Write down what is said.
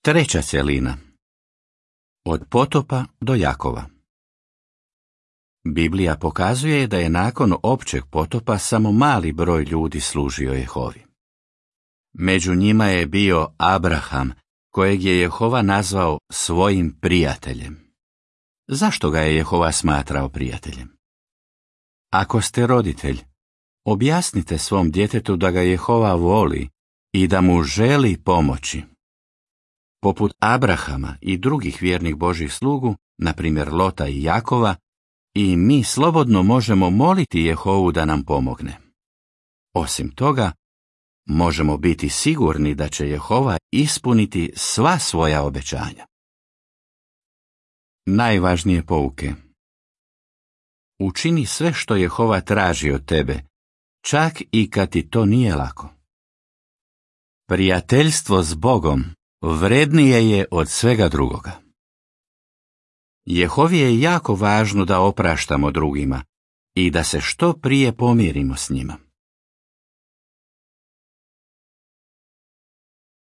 Treća cjelina. Od potopa do Jakova. Biblija pokazuje da je nakon općeg potopa samo mali broj ljudi služio Jehovi. Među njima je bio Abraham, kojeg je Jehova nazvao svojim prijateljem. Zašto ga je Jehova smatrao prijateljem? Ako ste roditelj, objasnite svom djetetu da ga Jehova voli i da mu želi pomoći. Poput Abrahama i drugih vjernih Božjih slugu, na primjer Lota i Jakova, i mi slobodno možemo moliti Jehovu da nam pomogne. Osim toga, možemo biti sigurni da će Jehova ispuniti sva svoja obećanja. Najvažnije pouke. Učini sve što Jehova traži od tebe, čak i kad ti to nije lako. Prijateljstvo s Bogom vrednije je od svega drugoga. Jehovi je jako važno da opraštamo drugima i da se što prije pomirimo s njima.